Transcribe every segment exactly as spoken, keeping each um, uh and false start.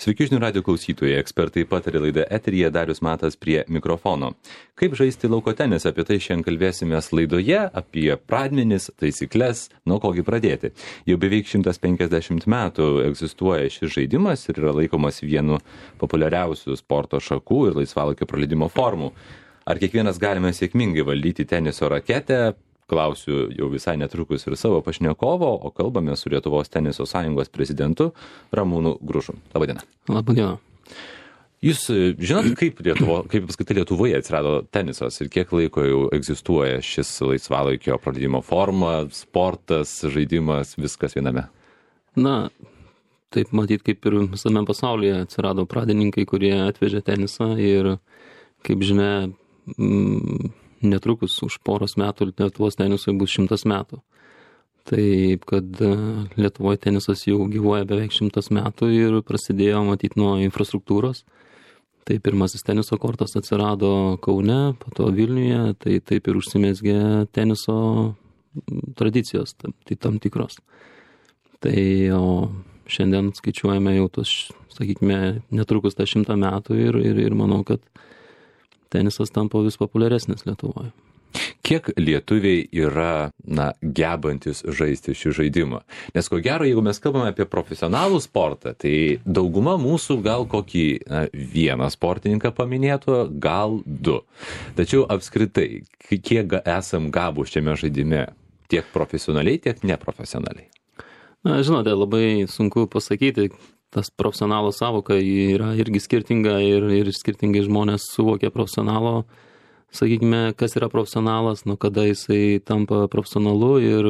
Sveiki žinių radijo klausytojai, ekspertai patarė laidą eteryje, Darius Matas prie mikrofono. Kaip žaisti lauko tenisą, apie tai šiandien kalbėsimės laidoje, apie pradmenis, taisyklės, nuo kogi pradėti. Jau beveik šimtas penkiasdešimt metų egzistuoja šis žaidimas ir yra laikomas vienu populiariausių sporto šakų ir laisvalaikio praleidimo formų. Ar kiekvienas galime sėkmingai valdyti teniso raketę? Klausiu jau visai netrukus ir savo pašnekovo, o kalbame su Lietuvos teniso sąjungos prezidentu Ramūnu Gružu. Labadiena. Labadiena. Jūs žinot, kaip, Lietuvo, kaip apskritai Lietuvoje atsirado tenisas ir kiek laiko jau egzistuoja šis laisvalaikio praleidimo forma, sportas, žaidimas, viskas viename? Na, taip matyt, kaip ir visame pasaulyje atsirado pradininkai, kurie atvežė tenisą ir, kaip žinia, mm, netrukus už poros metų Lietuvos tenisui bus šimtas metų. Taip, kad Lietuvoje tenisas jau gyvuoja beveik šimtas metų ir prasidėjo matyti nuo infrastruktūros. Tai pirmasis teniso kortas atsirado Kaune, po to Vilniuje, tai taip ir užsimezgė teniso tradicijos, tai tam tikros. Tai o šiandien skaičiuojame jau tos, sakykime, netrukus tą šimtą metų ir, ir, ir manau, kad tenisas tampa vis populiaresnis Lietuvoje. Kiek lietuviai yra, na, gebantis žaisti šį žaidimą? Nes ko gero, jeigu mes kalbame apie profesionalų sportą, tai dauguma mūsų gal kokį na, vieną sportininką paminėtų, gal du. Tačiau apskritai, kiek esam gabūs šiame žaidime, tiek profesionaliai, tiek neprofesionaliai? Na, žinote, labai sunku pasakyti. Tas profesionalo savoka yra irgi skirtinga ir, ir skirtingai žmonės suvokia profesionalo. Sakykime, kas yra profesionalas, nuo kada jisai tampa profesionalu ir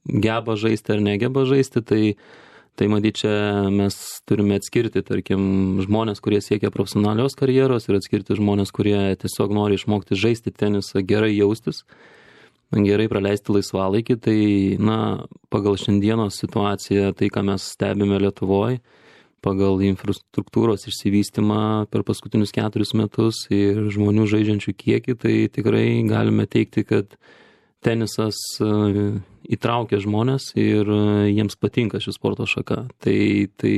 geba žaisti ar negeba žaisti, tai, tai matyt, čia mes turime atskirti, tarkim, žmonės, kurie siekia profesionalios karjeros ir atskirti žmonės, kurie tiesiog nori išmokti žaisti tenisą, gerai jaustis, gerai praleisti laisvalaikį. Tai, na, pagal šiandienos situaciją, tai, ką mes stebime Lietuvoje, pagal infrastruktūros išsivystymą per paskutinius keturis metus ir žmonių žaidžiančių kiekį, tai tikrai galime teikti, kad tenisas įtraukia žmonės ir jiems patinka ši sporto šaka. Tai, tai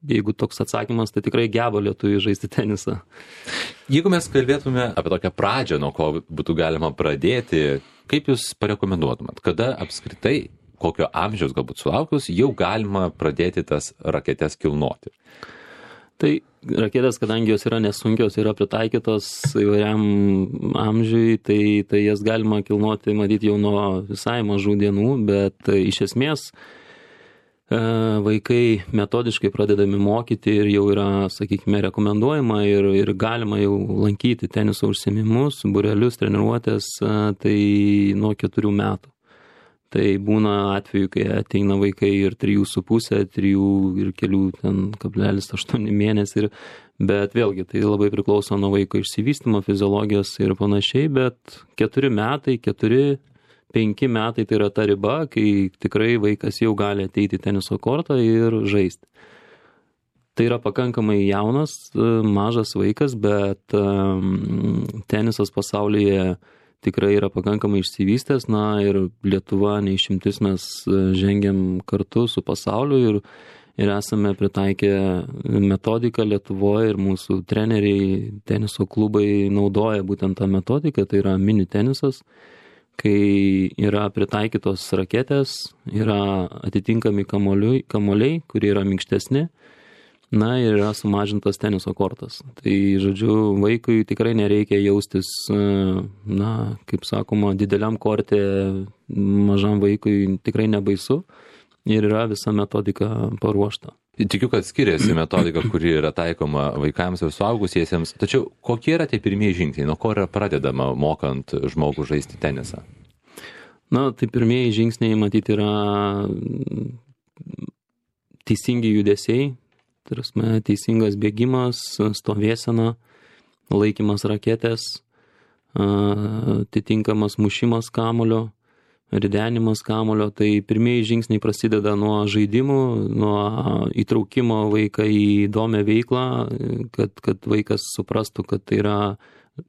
jeigu toks atsakymas, tai tikrai geba lietuviai žaisti tenisą. Jeigu mes kalbėtume apie tokią pradžią, nuo ko būtų galima pradėti, kaip jūs parekomenduotumėt, kada apskritai, kokio amžiaus galbūt sulaukus, jau galima pradėti tas raketes kilnoti? Tai raketės, kadangi jos yra nesunkios, yra pritaikytos įvairiam amžiui, tai, tai jas galima kilnoti, matyti, jau nuo visai mažų dienų, bet iš esmės vaikai metodiškai pradedami mokyti ir jau yra, sakykime, rekomenduojama ir, ir galima jau lankyti teniso užsiėmimus, būrelius, treniruotės, tai nuo keturių metų. Tai būna atveju, kai ateina vaikai ir trijų su pusė, trijų ir kelių ten kablelis aštuoni mėnesiai, bet vėlgi tai labai priklauso nuo vaiko išsivystymo, fiziologijos ir panašiai, bet keturi metai, keturi, penki metai tai yra ta riba, kai tikrai vaikas jau gali ateiti į teniso kortą ir žaisti. Tai yra pakankamai jaunas, mažas vaikas, bet tenisas pasaulyje tikrai yra pakankamai išsivystęs, na ir Lietuva neišimtis, mes žengiam kartu su pasauliu ir, ir esame pritaikę metodiką Lietuvoje ir mūsų treneriai, teniso klubai naudoja būtent tą metodiką, tai yra mini tenisas, kai yra pritaikytos raketės, yra atitinkami kamuoliai, kamuoliai kurie yra minkštesni, na ir yra sumažintas teniso kortas. Tai, žodžiu, vaikui tikrai nereikia jaustis, na, kaip sakoma, dideliam korte, mažam vaikui tikrai nebaisu ir yra visa metodika paruošta. Tikiu, kad skiriasi metodika, kuri yra taikoma vaikams ir suaugusiesiems, tačiau kokie yra tie pirmieji žingsniai, nuo ko yra pradedama mokant žmogų žaisti tenisą? Na, tai pirmieji žingsniai, matyti, yra teisingi judesiai, tai teisingas bėgimas, stovėsena, laikymas raketės, atitinkamas mušimas kamuolio, ridenimas kamuolio. Tai pirmieji žingsniai prasideda nuo žaidimų, nuo įtraukimo vaiką į įdomią veiklą, kad, kad vaikas suprastų, kad tai yra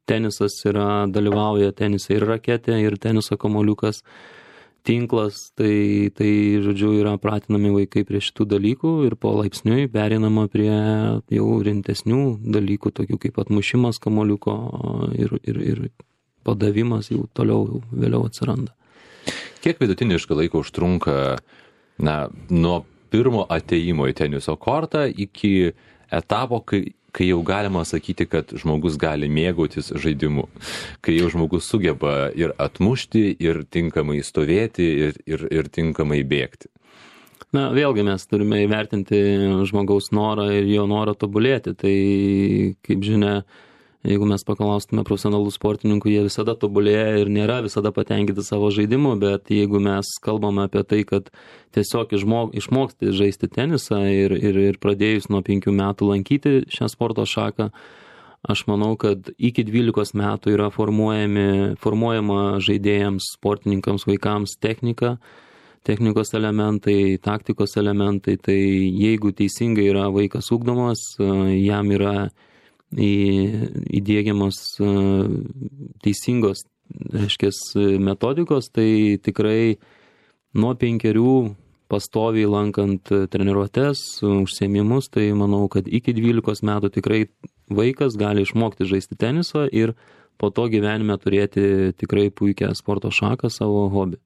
tenisas, yra, dalyvauja tenise ir raketė, ir teniso kamuoliukas. tinklas, tai, tai, žodžiu, yra pratinami vaikai prie šitų dalykų ir po laipsniui pereinama prie jau rimtesnių dalykų, tokių kaip atmušimas kamuoliuko ir, ir, ir padavimas jau toliau vėliau atsiranda. Kiek vidutiniškai laiko užtrunka na, nuo pirmo atėjimo į teniso kortą iki etapo, kai kai jau galima sakyti, kad žmogus gali mėgautis žaidimu, kai jau žmogus sugeba ir atmušti, ir tinkamai stovėti, ir, ir, ir tinkamai bėgti? Na, vėlgi mes turime įvertinti žmogaus norą ir jo norą tobulėti. Tai, kaip žinia, jeigu mes paklaustume profesionalų sportininkų, jie visada tobulėja ir nėra visada patenkinti savo žaidimu, bet jeigu mes kalbame apie tai, kad tiesiog išmok, išmokti žaisti tenisą ir, ir, ir pradėjus nuo penkių metų lankyti šią sporto šaką, aš manau, kad iki dvylikos metų yra formuojami, formuojama žaidėjams, sportininkams, vaikams technika, technikos elementai, taktikos elementai, tai jeigu teisingai yra vaikas ugdomas, jam yra įdiegiamos teisingos, reiškia, metodikos, tai tikrai nuo penkerių pastoviai lankant treniruotes, užsiėmimus, tai manau, kad iki dvylikos metų tikrai vaikas gali išmokti žaisti tenisą ir po to gyvenime turėti tikrai puikią sporto šaką, savo hobį.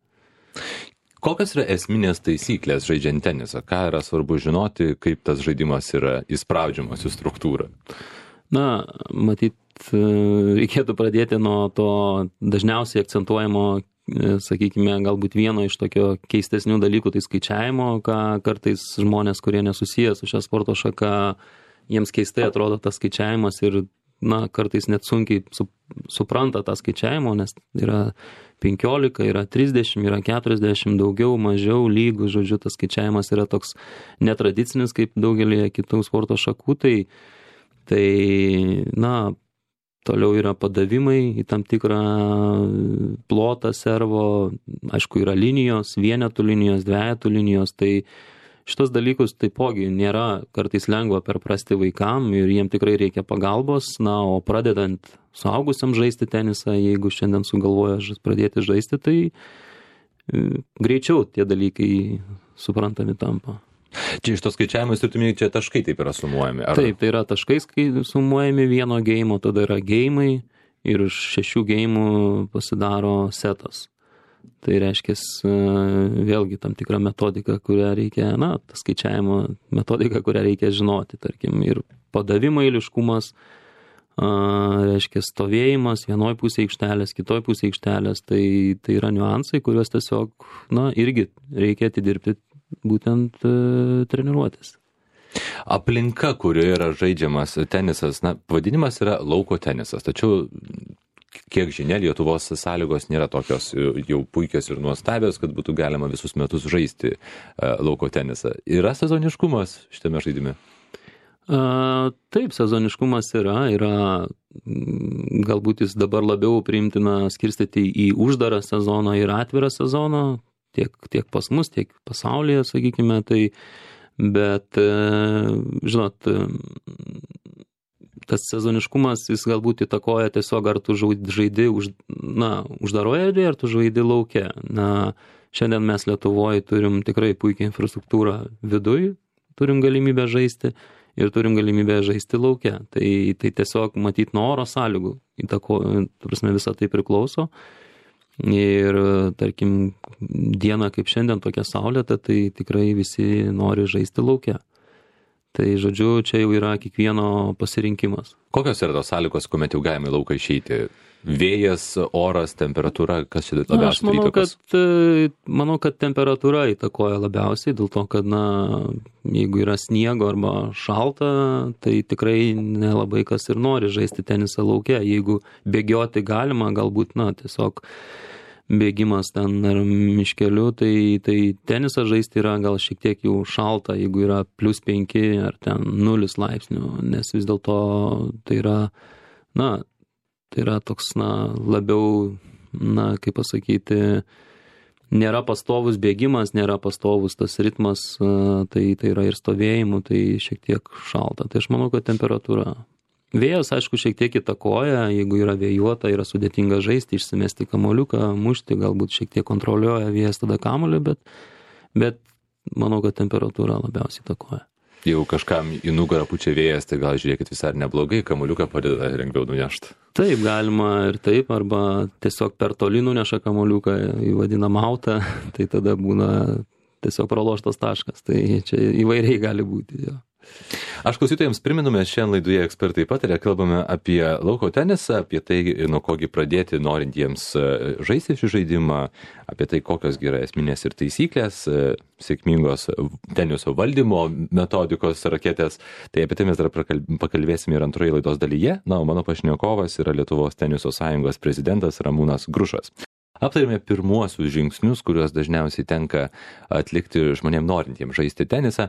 Kokios yra esminės taisyklės žaidžiant tenisą? Ką yra svarbu žinoti, kaip tas žaidimas yra įspraudžiamas į struktūrą? Na, matyt, reikėtų pradėti nuo to dažniausiai akcentuojamo, sakykime, galbūt vieno iš tokio keistesnių dalykų, tai skaičiavimo, ką kartais žmonės, kurie nesusiję su šią sporto šaka, jiems keistai atrodo tas skaičiavimas ir, na, kartais net sunkiai su, supranta tą skaičiavimo, nes yra penkiolika, yra trisdešimt, yra keturiasdešimt, daugiau, mažiau, lygų, žodžiu, tas skaičiavimas yra toks netradicinis kaip daugelį kitų sporto šakų, tai Tai, na, toliau yra padavimai į tam tikrą plotą servo, aišku, yra linijos, vienetų linijos, dvejetų linijos, tai šitos dalykus taipogi nėra kartais lengva perprasti vaikam ir jiem tikrai reikia pagalbos, na, o pradedant suaugusiam žaisti tenisą, jeigu šiandien sugalvoja pradėti žaisti, tai greičiau tie dalykai suprantami tampa. Čia iš tos skaičiavimus ir tuminį čia taškai taip yra sumuojami? Ar... Taip, tai yra taškai sumuojami vieno geimo, tada yra geimai ir iš šešių geimų pasidaro setas. Tai reiškia vėlgi tam tikrą metodiką, kurią reikia, na, tas skaičiavimo metodika, kurią reikia žinoti, tarkim, ir padavimo eiliškumas, reiškia stovėjimas vienoj pusėje aikštelės, kitoj pusėje aikštelės, tai, tai yra niuansai, kuriuos tiesiog, na, irgi reikia atidirbti būtent e, treniruotės. Aplinka, kurioje yra žaidžiamas tenisas, na, pavadinimas yra lauko tenisas, tačiau, kiek žinia, Lietuvos sąlygos nėra tokios jau puikios ir nuostabios, kad būtų galima visus metus žaisti e, lauko tenisą. Yra sezoniškumas šitame žaidime? A, taip, sezoniškumas yra, yra galbūt jis dabar labiau priimtina skirstyti į uždarą sezoną ir atvirą sezoną, tiek, tiek pas mus, tiek pasaulyje, sakykime, tai, bet, žinot, tas sezoniškumas jis galbūt įtakoja tiesiog, ar tu žaidi už, na, uždaroje erdvėje, ar tu žaidi lauke. Na, šiandien mes Lietuvoje turim tikrai puikią infrastruktūrą viduj, turim galimybę žaisti ir turim galimybę žaisti lauke. Tai, tai tiesiog matyt nuo oro sąlygų įtako, ta prasme, visą tai priklauso. Ir, tarkim, diena kaip šiandien tokia saulėta, tai tikrai visi nori žaisti lauke. Tai, žodžiu, čia jau yra kiekvieno pasirinkimas. Kokios yra tos sąlygos, kuomet jau galime į lauką išeiti? Vėjas, oras, temperatūra, kas čia labiausiai? Na, aš manau, kad, manau, kad temperatūra įtakoja labiausiai, dėl to, kad, na, jeigu yra sniego arba šalta, tai tikrai nelabai kas ir nori žaisti tenisą lauke. Jeigu bėgioti galima, galbūt, na, tiesiog bėgimas ten ar miškeliu, tai, tai tenisą žaisti yra gal šiek tiek jau šalta, jeigu yra plus penki ar ten nulis laipsnių, nes vis dėlto tai yra, na, tai yra toks, na, labiau, na, kaip pasakyti, nėra pastovus bėgimas, nėra pastovus tas ritmas, tai, tai yra ir stovėjimų, tai šiek tiek šalta. Tai aš manau, kad temperatūra Vėjas, aišku, šiek tiek įtakoja, jeigu yra vėjuota, yra sudėtinga žaisti, išsimesti kamuoliuką, mušti, galbūt šiek tiek kontroliuoja vėjas tada kamuolį, bet, bet manau, kad temperatūra labiausiai įtakoja. Jeigu kažkam į nugarą pučia vėjas, tai gal žiūrėkit visai neblogai, kamuoliuką padeda lengviau nunešti. Taip, galima ir taip, arba tiesiog per toli nuneša kamuoliuką į vadinamą autą, tai tada būna tiesiog praloštas taškas, tai čia įvairiai gali būti. Jo. Aš klausytojams priminu, mes šiandien laidoje Ekspertai pataria, kalbame apie lauko tenisą, apie tai, nuo kogi pradėti norintiems žaisti šį žaidimą, apie tai, kokios yra esminės ir taisyklės, sėkmingos teniso valdymo metodikos raketės. Tai apie tai mes dar pakalbėsime ir antroje laidos dalyje. Na, o mano pašnekovas yra Lietuvos teniso sąjungos prezidentas Ramūnas Grušas. Aptarėme pirmuosius žingsnius, kuriuos dažniausiai tenka atlikti žmonėms norintiems žaisti tenisą.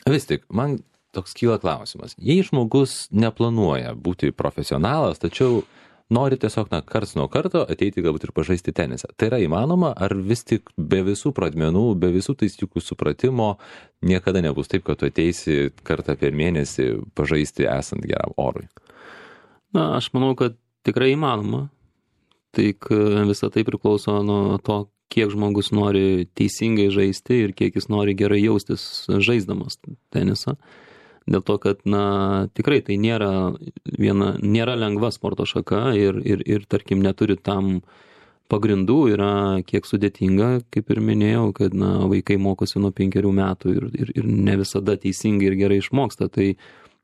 Vis tik, man toks kyla klausimas. Jei žmogus neplanuoja būti profesionalas, tačiau nori tiesiog na, karts nuo karto ateiti galbūt ir pažaisti tenisą, tai yra įmanoma, ar vis tik be visų pradmenų, be visų taisyklių supratimo niekada nebus taip, kad tu ateisi kartą per mėnesį pažaisti esant geram orui? Na, aš manau, kad tikrai įmanoma. Tik visą tai priklauso nuo to, kiek žmogus nori teisingai žaisti ir kiek jis nori gerai jaustis žaisdamas tenisą. Dėl to, kad na, tikrai tai nėra, viena, nėra lengva sporto šaka ir, ir, ir tarkim neturi tam pagrindų, yra kiek sudėtinga, kaip ir minėjau, kad na, vaikai mokosi nuo penkerių metų ir, ir, ir ne visada teisingai ir gerai išmoksta. Tai,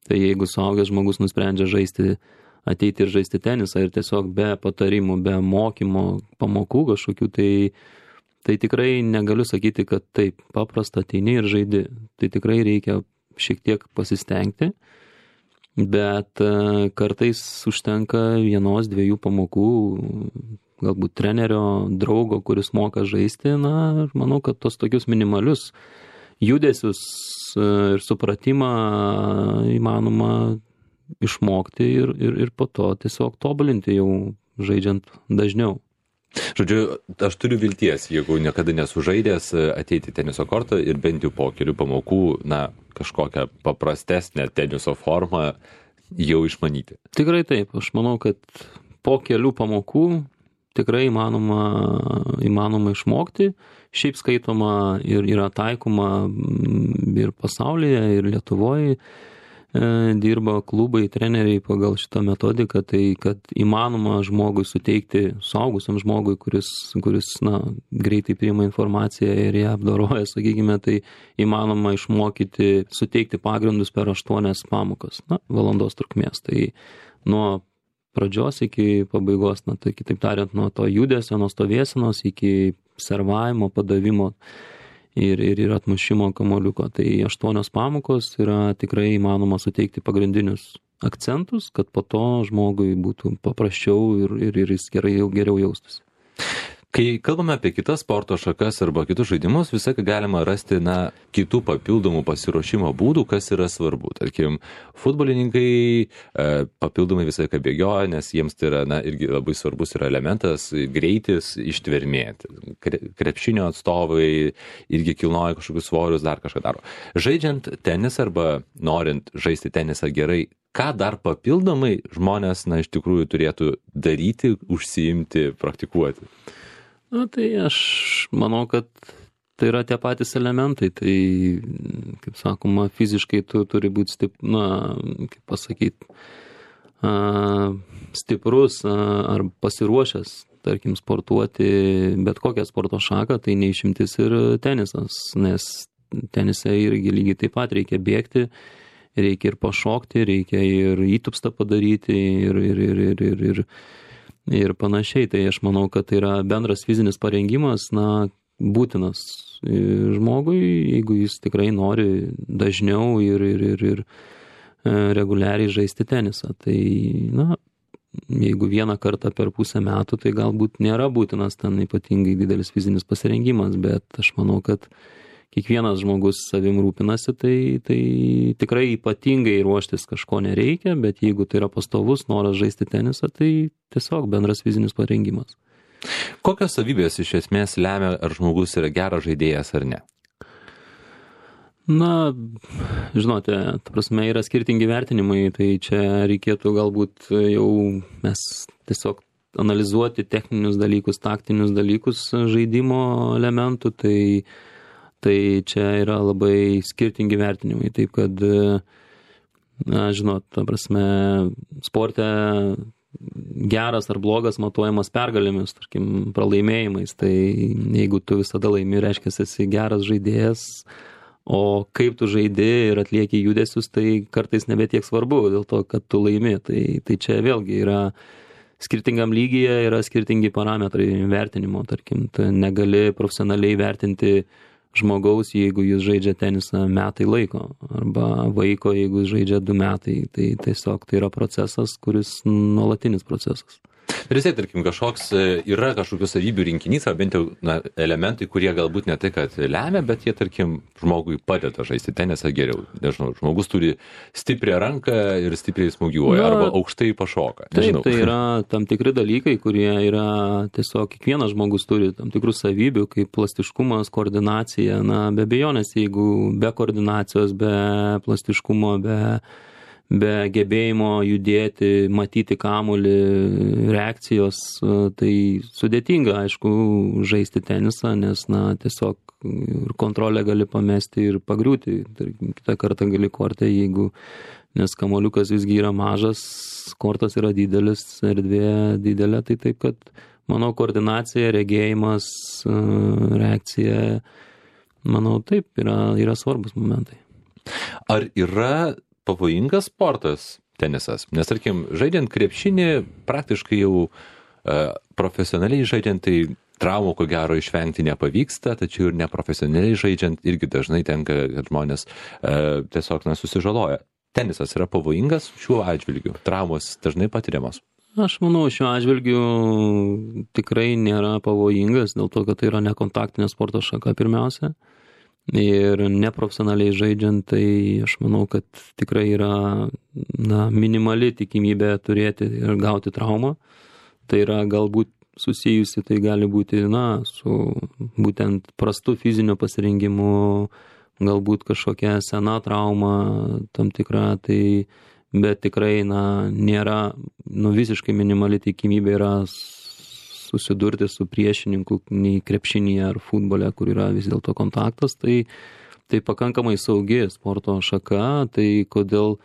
tai jeigu suaugęs žmogus nusprendžia žaisti ateiti ir žaisti tenisą ir tiesiog be patarimų, be mokymo, pamokų kažkokių, tai, tai tikrai negaliu sakyti, kad taip paprasta ateini ir žaidi. Tai tikrai reikia šiek tiek pasistengti, bet kartais užtenka vienos, dviejų pamokų, galbūt trenerio, draugo, kuris moka žaisti. Na, manau, kad tos tokius minimalius judesius ir supratimą įmanoma išmokti ir, ir, ir po to tiesiog tobulinti jau žaidžiant dažniau. Žodžiu, aš turiu vilties, jeigu niekada nesužaidęs, ateiti teniso kortą ir bent jau po kelių pamokų, na, kažkokią paprastesnę teniso formą jau išmanyti. Tikrai taip. Aš manau, kad po kelių pamokų tikrai įmanoma, įmanoma išmokti. Šiaip skaitoma ir yra taikoma ir pasaulyje, ir Lietuvoje. Dirba klubai, treneriai pagal šitą metodiką, tai kad įmanoma žmogui suteikti, suaugusiam žmogui, kuris, kuris na, greitai priima informaciją ir ją apdoroja, sakykime, tai įmanoma išmokyti, suteikti pagrindus per aštuonias pamokas, na, valandos trukmės. Tai nuo pradžios iki pabaigos, na, tai kitaip tariant, nuo to judesio, nuo stovėsenos iki servavimo, padavimo ir, ir, ir atmušimo kamuoliuko. Tai aštuonios pamokos yra tikrai įmanoma suteikti pagrindinius akcentus, kad po to žmogui būtų paprasčiau ir, ir, ir jis gerai, geriau jaustųsi. Kai kalbame apie kitas sporto šakas arba kitus žaidimus, visai galima rasti na, kitų papildomų pasiruošimo būdų, kas yra svarbu. Tarkim, futbolininkai e, papildomai visai ką bėgioja, nes jiems tai yra na, irgi labai svarbus yra elementas greitis, ištvermė. Krepšinio atstovai irgi kilnoja kažkokius svorius, dar kažką daro. Žaidžiant tenisą arba norint žaisti tenisą gerai, ką dar papildomai žmonės na, iš tikrųjų turėtų daryti, užsiimti, praktikuoti? Na, tai aš manau, kad tai yra tie patys elementai. Tai, kaip sakoma, fiziškai tu turi būti stip, na, kaip pasakyti, stiprus ar pasiruošęs, tarkim, sportuoti bet kokią sporto šaką, tai neišimtis ir tenisas, nes tenise irgi lygiai taip pat reikia bėgti, reikia ir pašokti, reikia ir įtupstą padaryti ir, ir, ir, ir, ir, ir ir panašiai. Tai aš manau, kad tai yra bendras fizinis parengimas, na, būtinas žmogui, jeigu jis tikrai nori dažniau ir, ir, ir, ir reguliariai žaisti tenisą. Tai, na, jeigu vieną kartą per pusę metų, tai galbūt nėra būtinas ten ypatingai didelis fizinis pasirengimas, bet aš manau, kad kiekvienas žmogus savim rūpinasi, tai, tai tikrai ypatingai ruoštis kažko nereikia, bet jeigu tai yra pastovus noras žaisti tenisą, tai tiesiog bendras fizinis parengimas. Kokios savybės iš esmės lemia, ar žmogus yra geras žaidėjas ar ne? Na, žinote, ta prasme yra skirtingi vertinimai, tai čia reikėtų galbūt jau mes tiesiog analizuoti techninius dalykus, taktinius dalykus žaidimo elementų, tai, tai čia yra labai skirtingi vertinimai. Taip kad, na, žinot, ta prasme, sporte geras ar blogas matuojamas pergalėmis, tarkim, pralaimėjimais, tai jeigu tu visada laimi, reiškia, esi geras žaidėjas, o kaip tu žaidi ir atlieki judesius, tai kartais nebe tiek svarbu, dėl to, kad tu laimi. Tai, tai čia vėlgi yra skirtingam lygyje, yra skirtingi parametrai vertinimo, tarkim, tu negali profesionaliai vertinti žmogaus, jeigu jis žaidžia tenisą metai laiko, arba vaiko, jeigu jis žaidžia du metai. Tai tiesiog tai yra procesas, kuris nuolatinis procesas. Ir vis tiek, tarkim, kažkoks yra kažkokių savybių rinkinys, ar bent jau na, elementai, kurie galbūt ne tai, kad lemia, bet jie, tarkim, žmogui padeda žaisti tenisą geriau. Nežinau, žmogus turi stiprią ranką ir stipriai smūgiuoja, arba aukštai pašoka. Nežinau. Taip, tai yra tam tikri dalykai, kurie yra tiesiog, kiekvienas žmogus turi tam tikrų savybių, kaip plastiškumas, koordinacija. Na, be abejonės, jeigu be koordinacijos, be plastiškumo, be... be gebėjimo judėti, matyti kamuolį, reakcijos, tai sudėtinga, aišku, žaisti tenisą, nes, na, tiesiog ir kontrolę gali pamesti ir pagriūti. Tarkim, kitą kartą gali kortę, jeigu, nes kamuoliukas visgi yra mažas, kortas yra didelis, erdvė didelė, tai taip, kad, manau, koordinacija, regėjimas, reakcija, manau, taip, yra, yra svarbus momentai. Ar yra pavojingas sportas tenisas? Nes, tarkim, žaidžiant krepšinį, praktiškai jau e, profesionaliai žaidžiant, tai traumų ko gero išvengti nepavyksta, tačiau ir neprofesionaliai žaidžiant irgi dažnai tenka, kad žmonės e, tiesiog na, susižaloja. Tenisas yra pavojingas šiuo atžvilgiu? Traumos dažnai patiriamos? Aš manau, šiuo atžvilgiu tikrai nėra pavojingas, dėl to, kad tai yra nekontaktinė sporto šaka pirmiausia. Ir neprofesionaliai žaidžiant, tai aš manau, kad tikrai yra na, minimali tikimybė turėti ir gauti traumą. Tai yra galbūt susijusi, tai gali būti na, su būtent prastu fiziniu pasirengimu, galbūt kažkokia sena trauma tam tikra, tai, bet tikrai na, nėra nu, visiškai minimali tikimybė yra susidurti su priešininku nei krepšinyje ar futbole, kur yra vis dėlto kontaktas, tai, tai pakankamai saugi sporto šaka, tai kodėl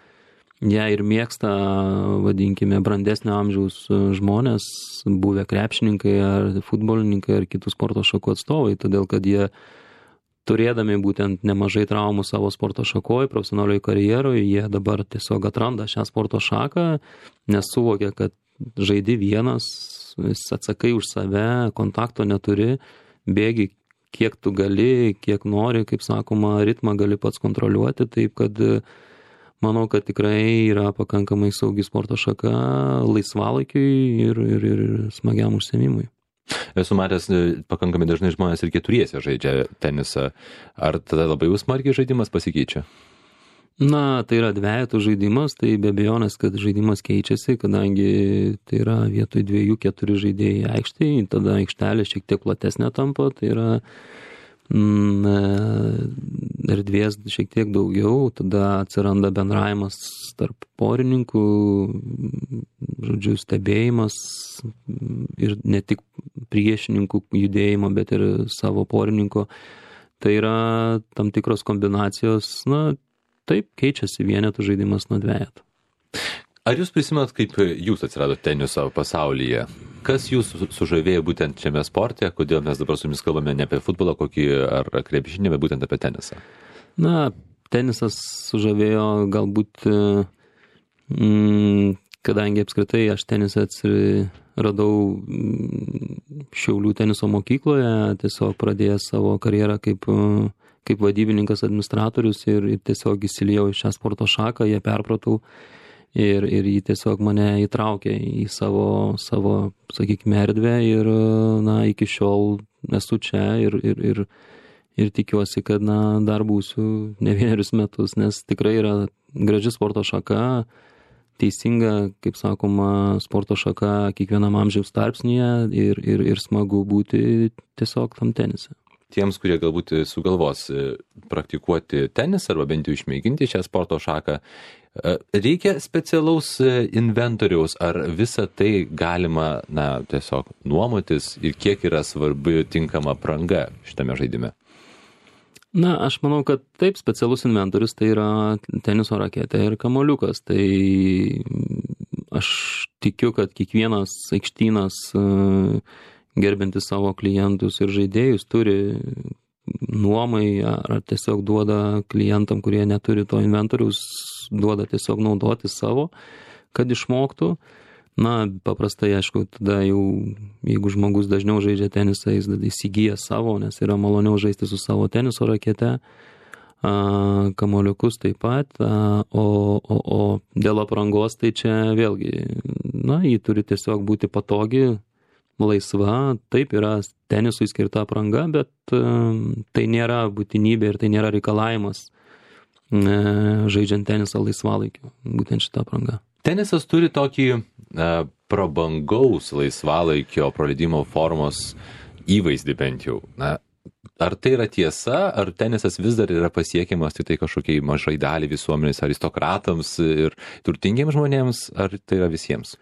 ją ir mėgsta, vadinkime, brandesnio amžiaus žmonės, buvę krepšininkai ar futbolininkai ar kitų sporto šakų atstovai, todėl kad jie turėdami būtent nemažai traumų savo sporto šakoje, profesionalioje karjeroje, jie dabar tiesiog atranda šią sporto šaką, nes suvokia, kad žaidi vienas, vis atsakai už save, kontakto neturi, bėgi kiek tu gali, kiek nori, kaip sakoma, ritmą gali pats kontroliuoti, taip kad manau, kad tikrai yra pakankamai saugi sporto šaka laisvalaikiui ir, ir, ir smagiam užsiėmimui. Esu matęs, pakankamai dažnai žmonės ir keturiese žaidžia tenisą. Ar tada labai jau smarkiai žaidimas pasikeičia? Na, tai yra dvejetų žaidimas, tai be abejonės, kad žaidimas keičiasi, kadangi tai yra vietoj dviejų keturi žaidėjai aikštėje, tada aikštelė šiek tiek platesnė tampa, tai yra mm, erdvės šiek tiek daugiau, tada atsiranda bendravimas tarp porininkų, žodžiu, stebėjimas ir ne tik priešininkų judėjimo, bet ir savo porininko. Tai yra tam tikros kombinacijos, na, taip, keičiasi vienetų žaidimas nuo dvejetų. Ar jūs prisimenat, kaip jūs atsiradote teniso pasaulyje? Kas jūs sužavėjo būtent šiame sporte? Kodėl mes dabar su jumis kalbame ne apie futbolą kokį ar krepšinį, bet būtent apie tenisą? Na, tenisas sužavėjo galbūt, mm, kadangi apskritai aš tenisą atsiradau Šiaulių teniso mokykloje, tiesiog pradėjęs savo karjerą kaip kaip vadybininkas, administratorius ir, ir tiesiog įsiliejau į šią sporto šaką, ją perpratau ir, ir jį tiesiog mane įtraukė į savo, savo sakykime, erdvę ir na, iki šiol esu čia ir, ir, ir, ir tikiuosi, kad na, dar būsiu ne vienerius metus, nes tikrai yra graži sporto šaka, teisinga, kaip sakoma, sporto šaka kiekvienam amžiaus tarpsnyje ir, ir, ir smagu būti tiesiog tam tenise. tiems, kurie galbūt sugalvos praktikuoti tenisą arba bent jau išmėginti šią sporto šaką, reikia specialaus inventoriaus, ar visą tai galima, na, tiesiog nuomotis ir kiek yra svarbi tinkama apranga šitame žaidime? Na, aš manau, kad taip, specialus inventorius tai yra teniso raketė ir kamuoliukas. Tai aš tikiu, kad kiekvienas aikštynas gerbintis savo klientus ir žaidėjus turi nuomai ar tiesiog duoda klientam, kurie neturi to inventorius, duoda tiesiog naudoti savo, kad išmoktų. Na, paprastai, aišku, tada jau, jeigu žmogus dažniau žaidžia tenisą, jis įsigyja savo, nes yra maloniau žaisti su savo teniso rakete, kamuoliukus taip pat, o, o, o dėl aprangos tai čia vėlgi, na, jį turi tiesiog būti patogi, laisva, taip yra tenisui skirta apranga, bet tai nėra būtinybė ir tai nėra reikalavimas žaidžiant tenisą laisvalaikiu, būtent šitą aprangą. Tenisas turi tokį na, prabangaus laisvalaikio praleidimo formos įvaizdį bent jau. Na, ar tai yra tiesa, ar tenisas vis dar yra pasiekiamas tik tai kažkokiai mažai dalį visuomenės, aristokratams ir turtingiems žmonėms, ar tai yra visiems?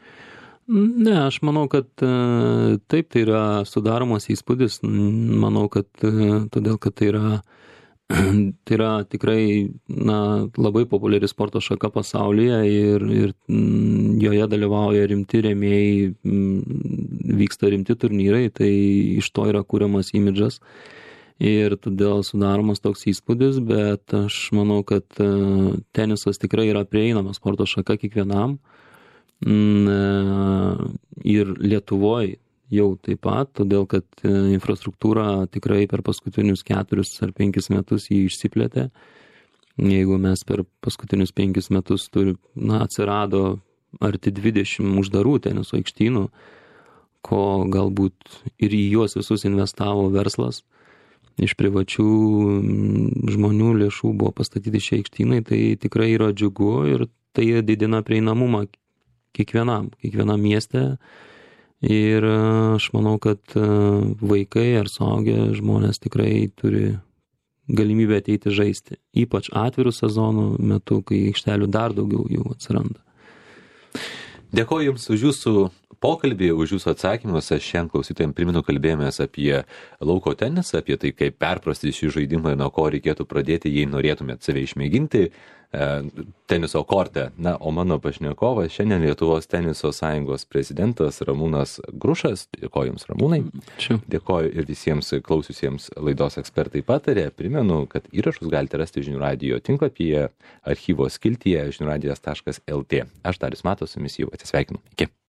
Ne, aš manau, kad taip, tai yra sudaromas įspūdis. Manau, kad todėl, kad tai yra tai yra tikrai na, labai populiari sporto šaka pasaulyje ir, ir joje dalyvauja rimti rėmėjai, vyksta rimti turnyrai, tai iš to yra kuriamas imidžas ir todėl sudaromas toks įspūdis, bet aš manau, kad tenisas tikrai yra prieinamas sporto šaka kiekvienam ir Lietuvoje jau taip pat, todėl kad infrastruktūra tikrai per paskutinius keturis ar penkis metus jį išsiplėtė. Jeigu mes per paskutinius penkis metus turi, na, atsirado arti dvidešimt uždarų teniso aikštynų, ko galbūt ir į juos visus investavo verslas. Iš privačių žmonių lėšų buvo pastatyti šie aikštynai, tai tikrai yra džiugu ir tai didina prieinamumą kiekvienam, kiekvienam mieste. Ir aš manau, kad vaikai ar suaugę žmonės tikrai turi galimybę ateiti žaisti. Ypač atvirų sezonų metu, kai aikštelių dar daugiau jų atsiranda. Dėkoju Jums už Jūsų pokalbį, už Jūsų atsakymus. Aš šiandien klausytojams primenu, kalbėjomės apie lauko tenisą, apie tai, kaip perprasti šį žaidimą, nuo ko reikėtų pradėti, jei norėtumėt save išmėginti teniso korte. Na, o mano pašnekovas šiandien Lietuvos teniso sąjungos prezidentas Ramūnas Grušas. Dėkoju Jums, Ramūnai. Ačiū. Dėkoju ir visiems klausiusiems laidos Ekspertai patarė. Primenu, kad įrašus galite rasti Žinių radijo tinklapyje, archyvo skiltyje žinių radijas taškas el tė. Aš Darius Matas, su jumis jau atsisveikinu. Iki.